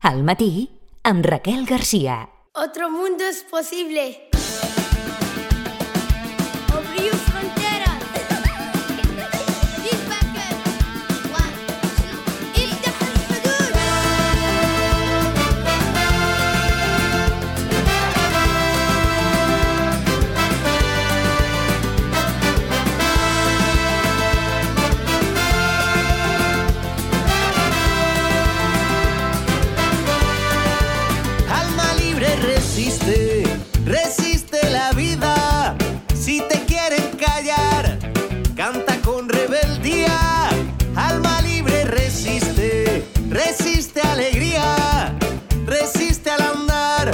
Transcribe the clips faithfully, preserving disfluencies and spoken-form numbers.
Al matí, amb Raquel García. Otro mundo es posible. Abriu fronteras. Feedbacker. One, two. افتح الحدود. Alma libre resiste, resiste la vida. Si te quieren callar, canta con rebeldía. Alma libre resiste, resiste alegría, resiste al andar,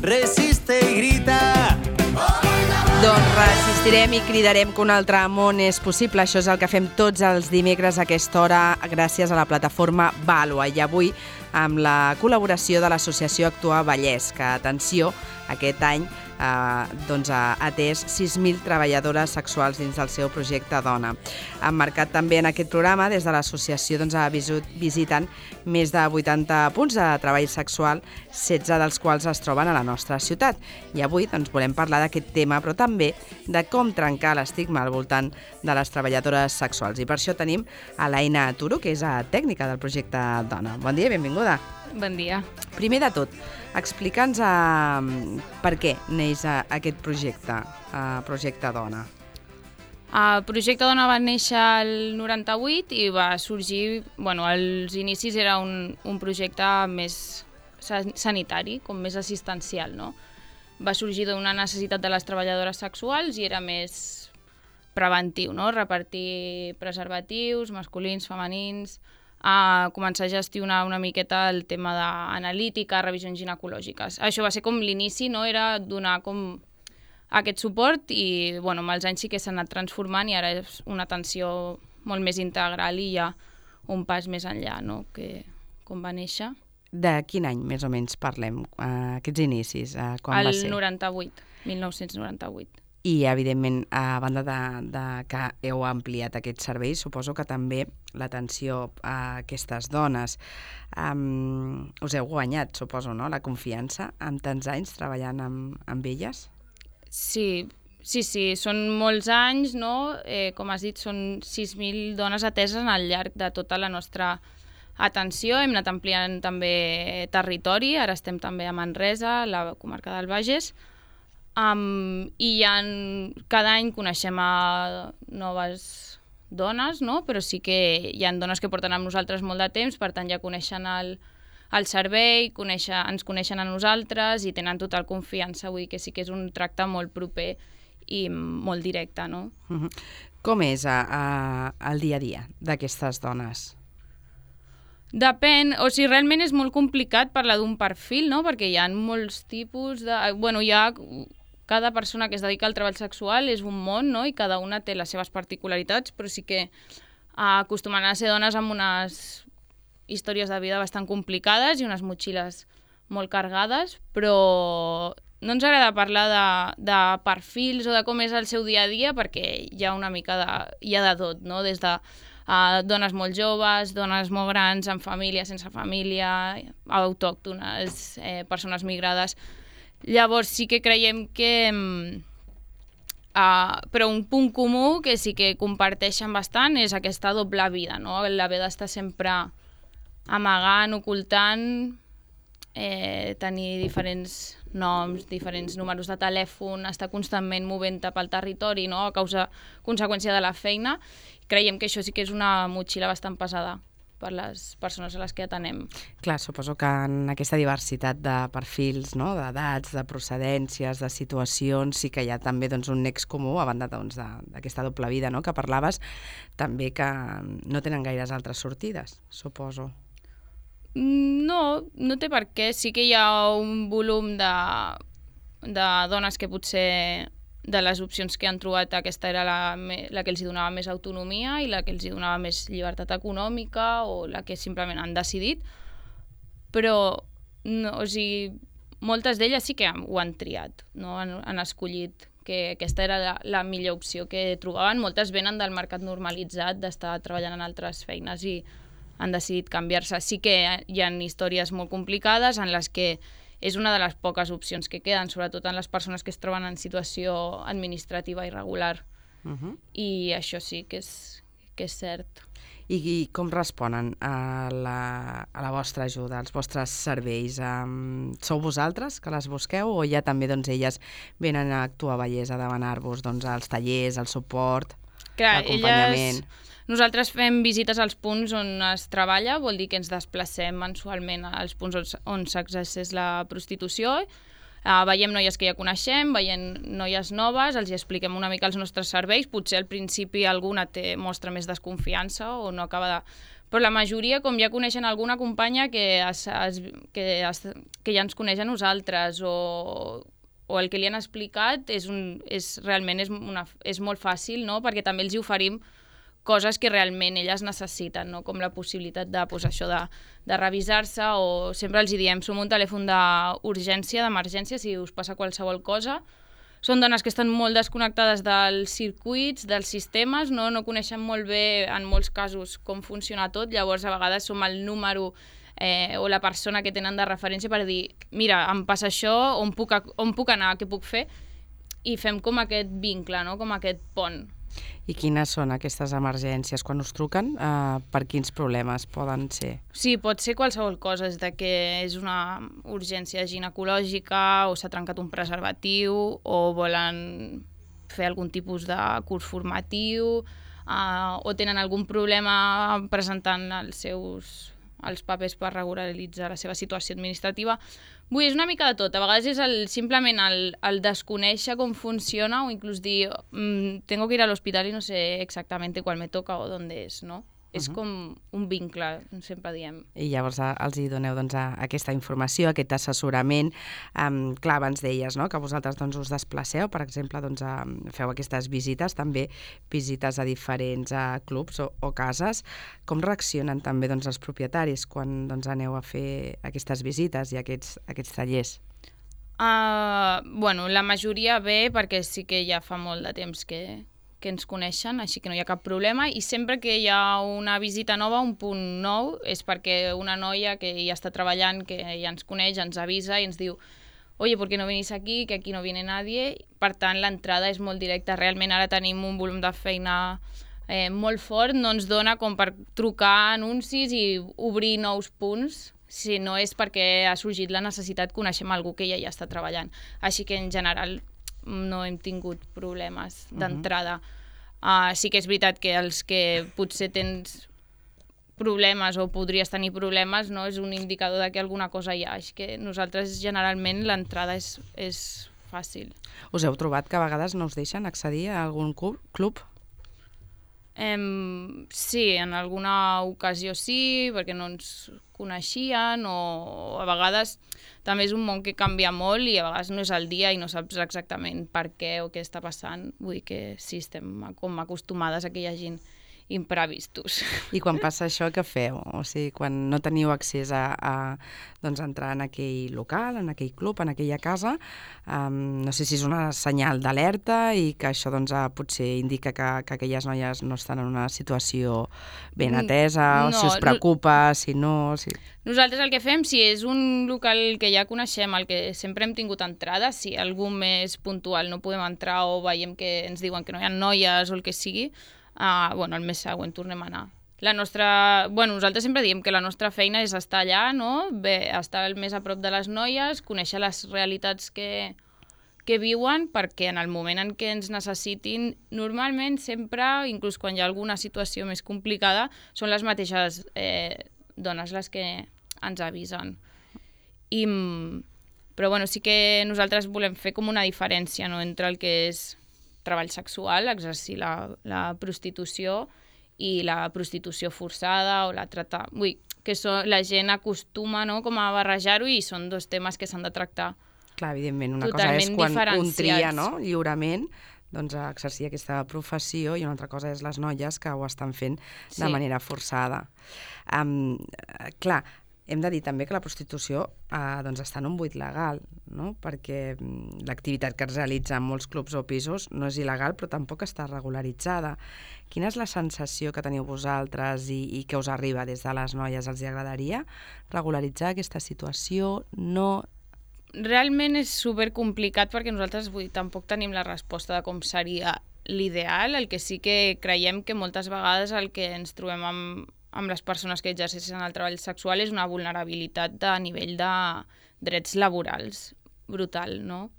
resiste y grita. Doncs resistirem i cridarem que un altre món és possible. Això és el que fem tots els dimecres a aquesta hora gràcies a la plataforma Vàlua. I avui amb la col·laboració de l'associació Actuar Vallès, que, atenció, aquest any eh, doncs ha atès sis mil treballadores sexuals dins del seu projecte Dona. Han marcat també en aquest programa, des de l'associació doncs, ha visiten més de vuitanta punts de treball sexual, setze dels quals es troben a la nostra ciutat. I avui doncs, volem parlar d'aquest tema, però també de com trencar l'estigma al voltant de les treballadores sexuals. I per això tenim a l'Aina Turo, que és tècnica del projecte Dona. Bon dia i benvinguda. Bon dia. Primer de tot, explica'ns uh, per què neix uh, aquest projecte, uh, projecte Dona. El projecte Dona va néixer el noranta-vuit i va sorgir, bueno, als inicis era un, un projecte més sanitari, com més assistencial, no? Va sorgir d'una necessitat de les treballadores sexuals i era més preventiu, no? Repartir preservatius, masculins, femenins, a començar a gestionar una miqueta el tema d'analítica, revisions ginecològiques. Això va ser com l'inici, no? Era donar com aquest suport i bueno, amb els anys sí que s'ha anat transformant i ara és una atenció molt més integral i hi ha un pas més enllà, no? Que com va néixer. De quin any més o menys parlem, uh, aquests inicis? Uh, quan va ser? El noranta-vuit, mil nou-cents noranta-vuit. I, evidentment, a banda de, de que heu ampliat aquest servei, suposo que també l'atenció a aquestes dones. Um, us heu guanyat, suposo, no?, la confiança amb tants anys treballant amb, amb elles? Sí, sí, sí, són molts anys, no? Eh, com has dit, són sis mil dones ateses al llarg de tota la nostra atenció. Hem anat ampliant també territori, ara estem també a Manresa, la comarca del Bages, um, i ha, cada any coneixem a noves dones, no? Però sí que hi ha dones que porten amb nosaltres molt de temps, per tant ja coneixen el, el servei, conèixer, ens coneixen a nosaltres i tenen total confiança, vull dir que sí que és un tracte molt proper i molt directe, no? Uh-huh. Com és a, a, el dia a dia d'aquestes dones? Depèn, o sigui, realment és molt complicat parlar d'un perfil, no? Perquè hi ha molts tipus de... Bueno, hi ha... Cada persona que es dedica al treball sexual és un món, no? I cada una té les seves particularitats, però sí que acostumen a ser dones amb unes històries de vida bastant complicades i unes motxilles molt carregades, però no ens agrada parlar de, de perfils o de com és el seu dia a dia perquè hi ha una mica de... hi ha de tot, no? Des de Uh, dones molt joves, dones molt grans, amb família, sense família, autòctones, eh, persones migrades. Llavors sí que creiem que... Uh, però un punt comú que sí que comparteixen bastant és aquesta doble vida, no? L'haver d'estar sempre amagant, ocultant, eh, tenir diferents noms, diferents números de telèfon, estar constantment movent-te pel territori, no? A causa, conseqüència de la feina. Creiem que això sí que és una motxilla bastant pesada per les persones a les que atenem. Clar, suposo que en aquesta diversitat de perfils, no? D'edats, de procedències, de situacions, sí que hi ha també doncs, un nex comú, a banda doncs, d'aquesta doble vida, no? Que parlaves, també que no tenen gaires altres sortides, suposo. No, no té per què. Sí que hi ha un volum de, de dones que potser de les opcions que han trobat aquesta era la, la que els donava més autonomia i la que els donava més llibertat econòmica o la que simplement han decidit, però no, o sigui, moltes d'elles sí que ho han triat, no? han, han escollit que aquesta era la, la millor opció que trobaven. Moltes venen del mercat normalitzat, d'estar treballant en altres feines i han decidit canviar-se. Sí que hi ha històries molt complicades en les que és una de les poques opcions que queden, sobretot en les persones que es troben en situació administrativa irregular. Uh -huh. I això sí que és, que és cert. I, I com responen a la, a la vostra ajuda, als vostres serveis? Um, sou vosaltres que les busqueu o ja també doncs, elles venen a actuar a Vallès a demanar-vos doncs, els tallers, el suport, l'acompanyament? Elles... Nosaltres fem visites als punts on es treballa, vol dir que ens desplacem mensualment als punts on, on s'exerceix la prostitució. Uh, veiem noies que ja coneixem, veiem noies noves, els expliquem una mica els nostres serveis, potser al principi alguna té, mostra més desconfiança o no acaba de... Però la majoria, com ja coneixen alguna companya que, es, es, que, es, que ja ens coneix a nosaltres o, o el que li han explicat, és un, és, realment és, una, és molt fàcil, no? Perquè també els hi oferim coses que realment elles necessiten, no? Com la possibilitat de, pues, això de, de revisar-se, o sempre els diem, som un telèfon d'urgència, d'emergència, si us passa qualsevol cosa. Són dones que estan molt desconnectades dels circuits, dels sistemes, no, no coneixen molt bé, en molts casos, com funciona tot, llavors a vegades som el número eh, o la persona que tenen de referència per dir, mira, em passa això, on puc, on puc anar, què puc fer? I fem com aquest vincle, no? Com aquest pont. I quines són aquestes emergències? Quan us truquen, eh, per quins problemes poden ser? Sí, pot ser qualsevol cosa, és de que és una urgència ginecològica o s'ha trencat un preservatiu o volen fer algun tipus de curs formatiu eh, o tenen algun problema presentant els seus els papers per regularitzar la seva situació administrativa. Vull dir, és una mica de tot. A vegades és el, simplement el, el desconèixer com funciona o inclús dir mmm, tengo que ir al hospital y no sé exactamente cuál me toca o dónde es, no? Uh-huh. És com un vincle, sempre diem. I llavors els hi doneu doncs, aquesta informació, aquest assessorament. Um, clar, abans deies no? que vosaltres doncs, us desplaceu, per exemple, doncs, a, feu aquestes visites, també visites a diferents a clubs o, o cases. Com reaccionen també doncs, els propietaris quan doncs, aneu a fer aquestes visites i aquests, aquests tallers? Uh, bueno, la majoria bé, perquè sí que ja fa molt de temps que... que ens coneixen, així que no hi ha cap problema, i sempre que hi ha una visita nova, un punt nou, és perquè una noia que ja està treballant, que ja ens coneix, ens avisa i ens diu oye, ¿por qué no venís aquí? Que aquí no viene nadie. Per tant, l'entrada és molt directa. Realment ara tenim un volum de feina eh, molt fort, no ens dona com per trucar anuncis i obrir nous punts, si no és perquè ha sorgit la necessitat, coneixem algú que ja hi està treballant. Així que, en general, no hem tingut problemes d'entrada. Uh, sí que és veritat que els que potser tens problemes o podries tenir problemes, no, és un indicador de que alguna cosa hi ha. Així que nosaltres generalment l'entrada és, és fàcil. Us heu trobat que a vegades no us deixen accedir a algun club? Um, sí, en alguna ocasió sí, perquè no ens coneixien, o a vegades també és un món que canvia molt i a vegades no és el dia i no saps exactament per què o què està passant. Vull dir que sí, estem com acostumades a que hi hagin imprevistos. I quan passa això, què feu? O sigui, quan no teniu accés a, a doncs, entrar en aquell local, en aquell club, en aquella casa, um, no sé si és una senyal d'alerta i que això doncs, potser indica que, que aquelles noies no estan en una situació ben atesa, no, o si us preocupa, no, si no... Si... Nosaltres el que fem, si és un local que ja coneixem, el que sempre hem tingut entrada, si algú més puntual no podem entrar o veiem que ens diuen que no hi ha noies o el que sigui, Uh, bueno, el mes següent tornem a anar. La nostra... Bueno, nosaltres sempre diem que la nostra feina és estar allà, no? Bé, estar el més a prop de les noies, conèixer les realitats que, que viuen, perquè en el moment en què ens necessitin, normalment sempre, inclús quan hi ha alguna situació més complicada, són les mateixes eh, dones les que ens avisen. I, però bueno, sí que nosaltres volem fer com una diferència, no?, entre el que és treball sexual, exercir la, la prostitució i la prostitució forçada o la trata... Vull que so, la gent acostuma, no?, com a barrejar-ho, i són dos temes que s'han de tractar. Clar, evidentment, una cosa és quan un tria, no?, lliurement, doncs a exercir aquesta professió, i una altra cosa és les noies que ho estan fent de sí. manera forçada. Um, clar, hem de dir també que la prostitució eh, doncs està en un buit legal, no? Perquè mm, l'activitat que es realitza en molts clubs o pisos no és il·legal, però tampoc està regularitzada. Quina és la sensació que teniu vosaltres i, i que us arriba des de les noies? Els hi agradaria regularitzar aquesta situació? No? Realment és supercomplicat perquè nosaltres vull, tampoc tenim la resposta de com seria l'ideal. El que sí que creiem que moltes vegades el que ens trobem amb, amb les persones que exerceixen el treball sexual és una vulnerabilitat de nivell de drets laborals brutal, no?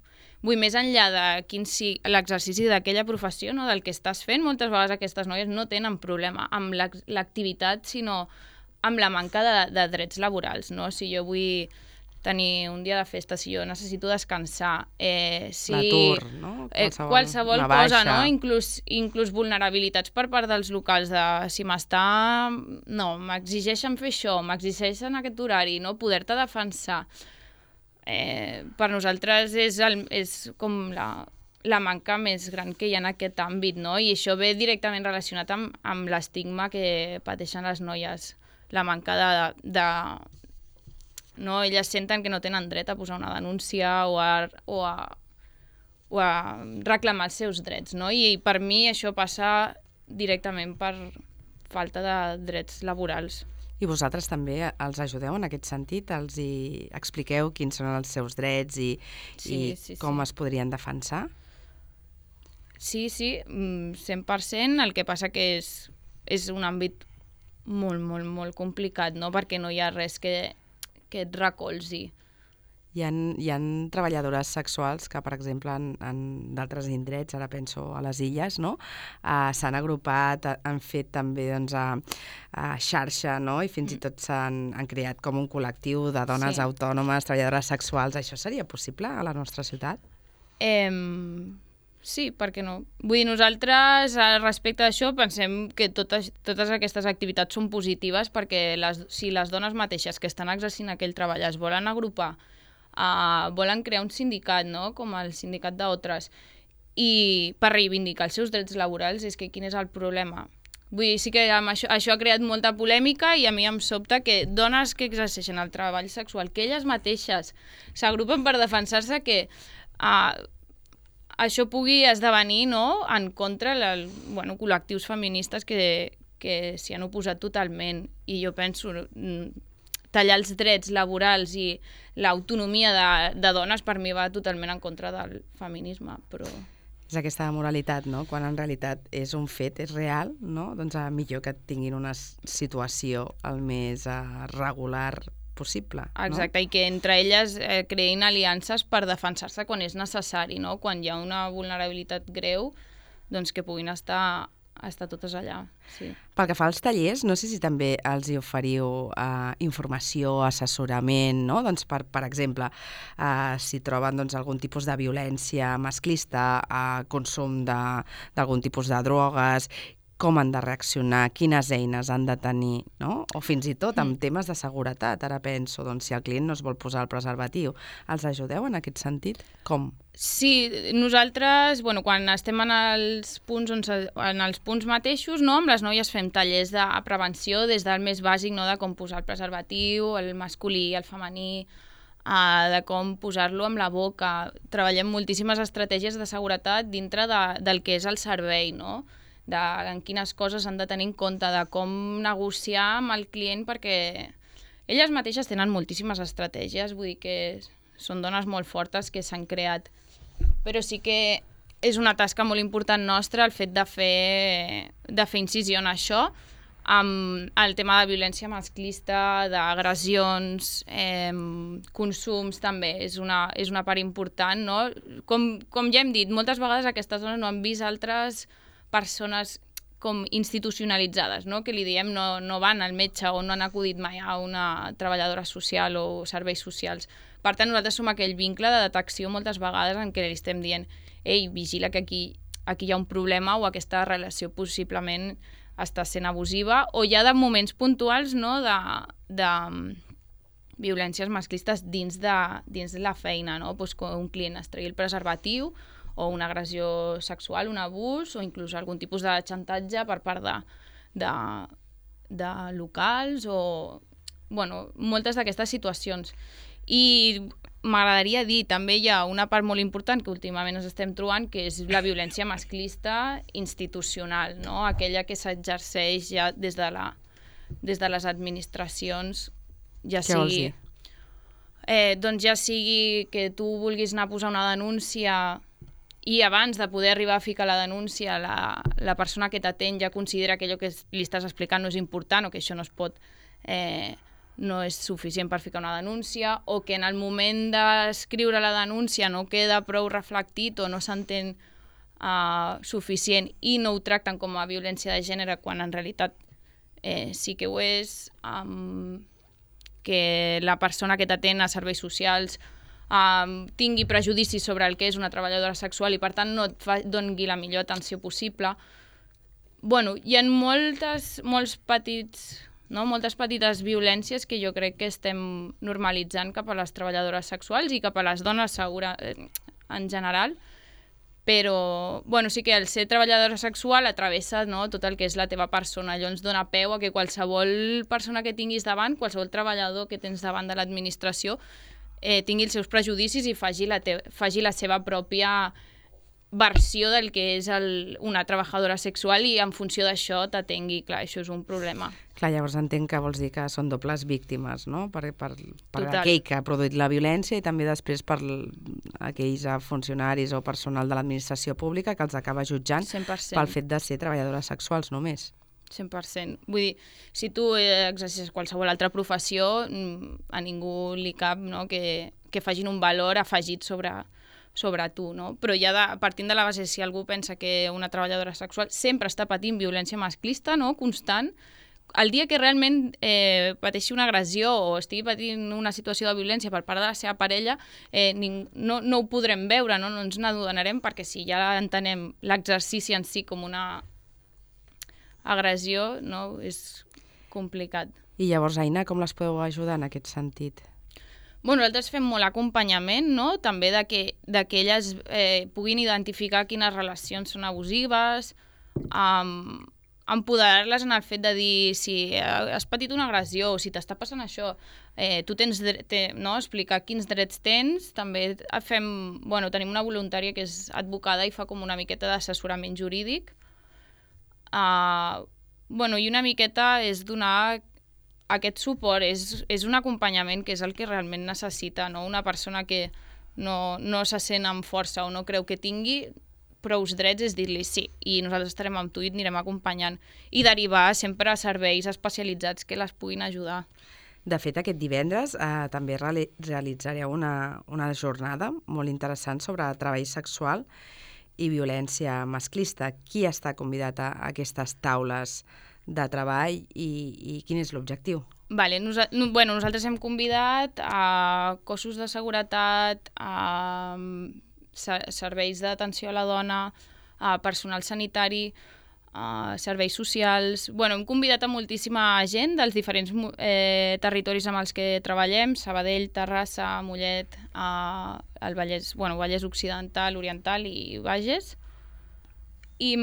Vull, més enllà de quin sigui l'exercici d'aquella professió, no, del que estàs fent, moltes vegades aquestes noies no tenen problema amb l'activitat, sinó amb la manca de, de drets laborals, no? Si jo vull tenir un dia de festa, si jo necessito descansar, eh, si... L'atur, no? Eh, Qualsevol, qualsevol una cosa, baixa. no? Inclús, inclús vulnerabilitats per part dels locals de si m'està... No, m'exigeixen fer això, m'exigeixen aquest horari, no? Poder-te defensar. Eh, per nosaltres és, el, és com la, la manca més gran que hi ha en aquest àmbit, no? I això ve directament relacionat amb, amb l'estigma que pateixen les noies, la manca de... de no? Elles senten que no tenen dret a posar una denúncia o a, o a, o a reclamar els seus drets, no? I per mi això passa directament per falta de drets laborals. I vosaltres també els ajudeu en aquest sentit? Els hi expliqueu quins són els seus drets i, Sí, i sí, com sí. es podrien defensar? Sí, sí, mm, cent per cent. El que passa que és, és un àmbit molt, molt, molt complicat, no? Perquè no hi ha res que, que et recolzi. Hi ha, hi ha treballadores sexuals que, per exemple, en, en d'altres indrets, ara penso a les illes, no? Uh, s'han agrupat, han fet també doncs, a, a xarxa, no? I fins i tot s'han han creat com un col·lectiu de dones Sí. autònomes, treballadores sexuals. Això seria possible a la nostra ciutat? Eh, sí, per què no? Vull dir, nosaltres, al respecte d'això, pensem que totes, totes aquestes activitats són positives perquè les, si les dones mateixes que estan exercint aquell treball es volen agrupar, uh, volen crear un sindicat, no? Com el sindicat d'Otres, i per reivindicar els seus drets laborals, és que quin és el problema? Vull dir, sí que amb això, això ha creat molta polèmica i a mi em sobta que dones que exerceixen el treball sexual, que elles mateixes s'agrupen per defensar-se, que uh, això pugui esdevenir, no?, en contra del, bueno, col·lectius feministes que, que s'hi han oposat totalment. I jo penso, mm, tallar els drets laborals i l'autonomia de, de dones per mi va totalment en contra del feminisme, però... És aquesta moralitat, no? Quan en realitat és un fet, és real, no? Doncs uh, millor que tinguin una situació el més uh, regular possible. Exacte, no? I que entre elles eh, creïn aliances per defensar-se quan és necessari, no? Quan hi ha una vulnerabilitat greu, doncs que puguin estar, estar totes allà. Sí. Pel que fa als tallers, no sé si també els hi oferiu eh, informació, assessorament, no? Doncs per, per exemple, eh, si troben doncs, algun tipus de violència masclista, eh, consum de- d'algun tipus de drogues, com han de reaccionar, quines eines han de tenir, no? O fins i tot amb temes de seguretat. Ara penso, doncs, si el client no es vol posar el preservatiu, els ajudeu en aquest sentit? Com? Sí, nosaltres, bueno, quan estem en els punts, on se, en els punts mateixos, no, amb les noies fem tallers de prevenció des del més bàsic, no, de com posar el preservatiu, el masculí, el femení, uh, de com posar-lo amb la boca. Treballem moltíssimes estratègies de seguretat dintre de, del que és el servei, no? De en quines coses han de tenir en compte, de com negociar amb el client, perquè elles mateixes tenen moltíssimes estratègies, vull dir que són dones molt fortes que s'han creat. Però sí que és una tasca molt important nostra el fet de fer, de fer incisió en això, amb el tema de violència masclista, d'agressions, eh, consums també, és una, és una part important, no? Com, com ja hem dit, moltes vegades aquestes dones no han vist altres persones com institucionalitzades, no? Que li diem no, no van al metge o no han acudit mai a una treballadora social o serveis socials. Per tant, nosaltres som aquell vincle de detecció moltes vegades en què li estem dient ei, vigila que aquí, aquí hi ha un problema o aquesta relació possiblement està sent abusiva, o hi ha de moments puntuals, no?, de, de violències masclistes dins de, dins de la feina, no? Pues que un client es tregui el preservatiu o una agressió sexual, un abús, o inclús algun tipus de xantatge per part de, de, de locals, o bueno, moltes d'aquestes situacions. I m'agradaria dir, també hi ha una part molt important que últimament ens estem trobant, que és la violència masclista institucional, no? Aquella que s'exerceix ja des de, la, des de les administracions, ja Què vols sigui... dir? Eh, doncs ja sigui que tu vulguis anar a posar una denúncia i abans de poder arribar a ficar la denúncia la, la persona que t'atén ja considera que allò que li estàs explicant no és important o que això no es pot... Eh, no és suficient per ficar una denúncia, o que en el moment d'escriure la denúncia no queda prou reflectit o no s'entén uh, suficient i no ho tracten com a violència de gènere quan en realitat eh, sí que ho és, um, que la persona que t'atén a serveis socials um, tingui prejudicis sobre el que és una treballadora sexual i per tant no et fa, doni la millor atenció possible. Bueno, hi ha moltes, molts petits... No? Moltes petites violències que jo crec que estem normalitzant cap a les treballadores sexuals i cap a les dones segura, eh, en general, però bueno, sí que el ser treballadora sexual atravessa, no, tot el que és la teva persona. Allò ens dona peu a que qualsevol persona que tinguis davant, qualsevol treballador que tens davant de l'administració, eh, tingui els seus prejudicis i faci la, te faci la seva pròpia versió del que és el, una treballadora sexual i en funció d'això t'atengui. Clar, això és un problema. Clar, llavors entenc que vols dir que són dobles víctimes, no? Per, per, per Total. aquell que ha produït la violència i també després per aquells funcionaris o personal de l'administració pública que els acaba jutjant cent per cent. pel fet de ser treballadores sexuals només. cent per cent. Vull dir, si tu exercis qualsevol altra professió, a ningú li cap, no, que, que facin un valor afegit sobre... sobre tu, no? Però ja de, partint de la base, si algú pensa que una treballadora sexual sempre està patint violència masclista, no?, constant, el dia que realment eh, pateixi una agressió o estigui patint una situació de violència per part de la seva parella, eh, ning, no, no ho podrem veure, no, no ens n'adonarem, perquè si ja entenem l'exercici en si com una agressió, no?, és complicat. I llavors, Aina, com les podeu ajudar en aquest sentit? Bueno, nosaltres fem molt acompanyament, no? També de que, de que elles eh, puguin identificar quines relacions són abusives, um, empoderar-les en el fet de dir si has patit una agressió o si t'està passant això, eh, tu tens dret, te, no? Explicar quins drets tens. També fem, bueno, tenim una voluntària que és advocada i fa com una miqueta d'assessorament jurídic. Uh, bueno, i una miqueta és donar aquest suport, és, és un acompanyament que és el que realment necessita, no? Una persona que no, no se sent amb força o no creu que tingui prous drets, és dir-li sí, i nosaltres estarem amb tu i et anirem acompanyant, i derivar sempre a serveis especialitzats que les puguin ajudar. De fet, aquest divendres eh, també reali realitzareu una, una jornada molt interessant sobre treball sexual i violència masclista. Qui està convidat a aquestes taules de treball i, i quin és l'objectiu? Vale, nosa no, bueno, nosaltres hem convidat a cossos de seguretat, a serveis d'atenció a la dona, a personal sanitari, a serveis socials... Bueno, hem convidat a moltíssima gent dels diferents eh, territoris amb els que treballem, Sabadell, Terrassa, Mollet, eh, el Vallès, bueno, Vallès Occidental, Oriental i Bages. I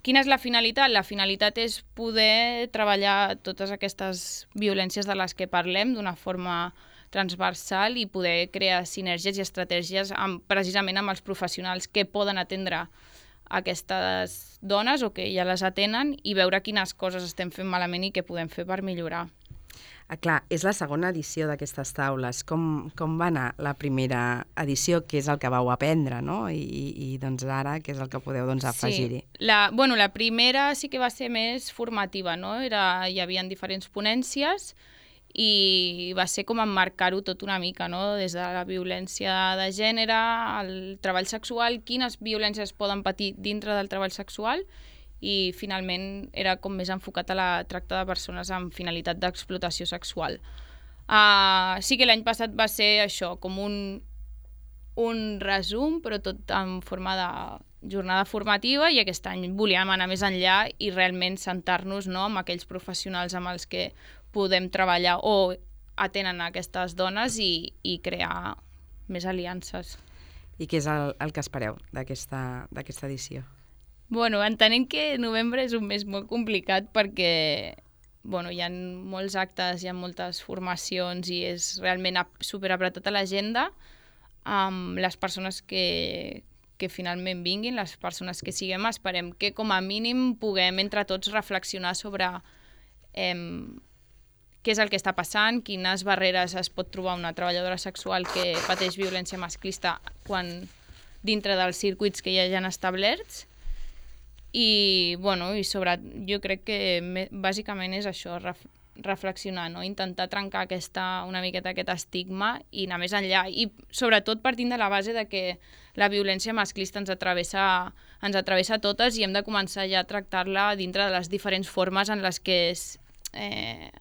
quina és la finalitat? La finalitat és poder treballar totes aquestes violències de les que parlem d'una forma transversal i poder crear sinergies i estratègies amb, precisament amb els professionals que poden atendre aquestes dones o que ja les atenen i veure quines coses estem fent malament i què podem fer per millorar. Ah, clar, és la segona edició d'aquestes taules. Com, com va anar la primera edició, que és el que vau aprendre, no? I, i, i doncs ara, què és el que podeu doncs, afegir-hi? Sí, la, bueno, la primera sí que va ser més formativa, no? Era, hi havia diferents ponències i va ser com emmarcar-ho tot una mica, no? Des de la violència de gènere, el treball sexual, quines violències poden patir dintre del treball sexual, i finalment era com més enfocat a la tracta de persones amb finalitat d'explotació sexual. Uh, sí que l'any passat va ser això, com un, un resum, però tot en forma de jornada formativa, i aquest any volíem anar més enllà i realment sentar-nos, no, amb aquells professionals amb els que podem treballar o atenen aquestes dones i, i crear més aliances. I què és el, el que espereu d'aquesta edició? Bueno, entenent que novembre és un mes molt complicat perquè bueno, hi ha molts actes, hi ha moltes formacions i és realment superapretat a l'agenda. Amb les persones que, que finalment vinguin, les persones que siguem, esperem que com a mínim puguem entre tots reflexionar sobre eh, què és el que està passant, quines barreres es pot trobar una treballadora sexual que pateix violència masclista quan dintre dels circuits que ja hi ha establerts. I, bueno, i sobre, jo crec que me, bàsicament és això, ref, reflexionar, no? Intentar trencar aquesta, una miqueta aquest estigma i anar més enllà. I sobretot partint de la base de que la violència masclista ens atravessa, ens atravessa totes i hem de començar ja a tractar-la dintre de les diferents formes en les que es, eh,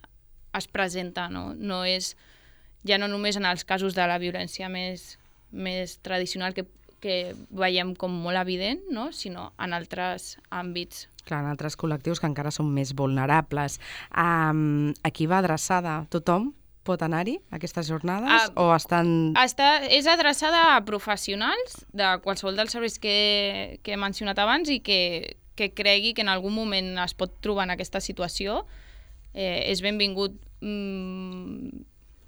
es presenta. No? No és, ja no només en els casos de la violència més, més tradicional que que veiem com molt evident, no? Sinó en altres àmbits. Clar, en altres col·lectius que encara són més vulnerables. Um, a qui va adreçada? Tothom pot anar-hi, a aquestes jornades? Uh, o estan... Està, és adreçada a professionals de qualsevol dels serveis que, que he mencionat abans i que, que cregui que en algun moment es pot trobar en aquesta situació. Eh, és benvingut... Mm,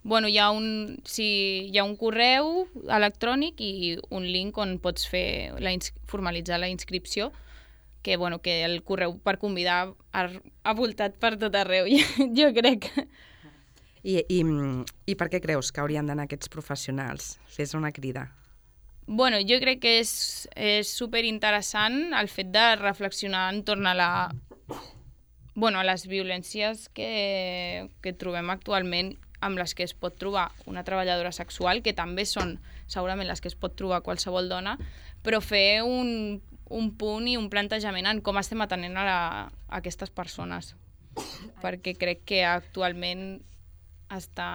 Bueno, hi ha, un, sí, hi ha un correu electrònic i un link on pots fer la ins formalitzar la inscripció, que, bueno, que el correu per convidar ha, ha voltat per tot arreu, jo crec. I, i, I per què creus que haurien d'anar aquests professionals? Fes una crida. Bueno, jo crec que és, és superinteressant el fet de reflexionar entorn a la... Bueno, a les violències que, que trobem actualment amb les que es pot trobar una treballadora sexual, que també són segurament les que es pot trobar qualsevol dona, però fer un, un punt i un plantejament en com estem atenent a, la, a aquestes persones, perquè crec que actualment està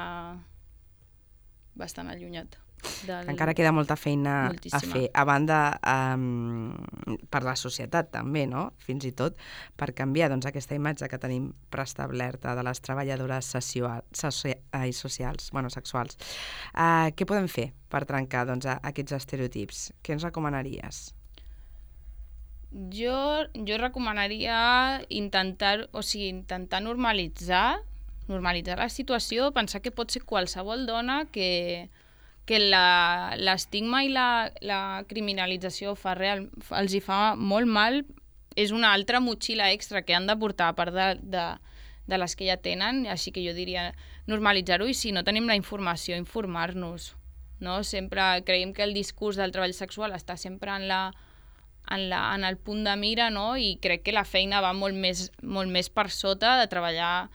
bastant allunyat. Del... Encara queda molta feina Moltíssima. a fer, a banda um, per la societat també, no? Fins i tot per canviar doncs, aquesta imatge que tenim preestablerta de les treballadores socials, ai, socials bueno, sexuals. Uh, què podem fer per trencar doncs, aquests estereotips? Què ens recomanaries? Jo, jo recomanaria intentar, o sigui, intentar normalitzar, normalitzar la situació, pensar que pot ser qualsevol dona que... que l'estigma i la, la criminalització fa real, els hi fa molt mal, és una altra motxilla extra que han de portar a part de, de, de les que ja tenen, així que jo diria normalitzar-ho i si no tenim la informació, informar-nos. No? Sempre creiem que el discurs del treball sexual està sempre en, la, en, la, en el punt de mira, no? I crec que la feina va molt més, molt més per sota de treballar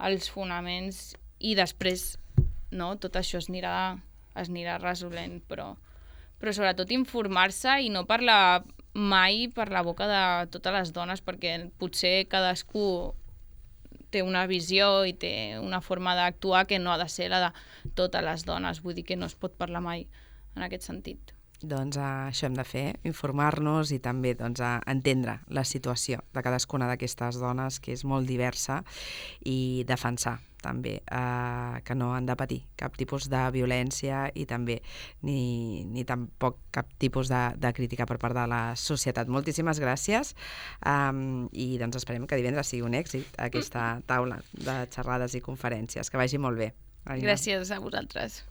els fonaments i després no? Tot això es anirà... es anirà resolent, però, però sobretot informar-se i no parlar mai per la boca de totes les dones, perquè potser cadascú té una visió i té una forma d'actuar que no ha de ser la de totes les dones, vull dir que no es pot parlar mai en aquest sentit. Doncs uh, això hem de fer, informar-nos i també doncs, uh, entendre la situació de cadascuna d'aquestes dones, que és molt diversa, i defensar també eh, que no han de patir cap tipus de violència i també ni, ni tampoc cap tipus de, de crítica per part de la societat. Moltíssimes gràcies um, i doncs esperem que divendres sigui un èxit aquesta taula de xerrades i conferències. Que vagi molt bé. Gràcies a vosaltres.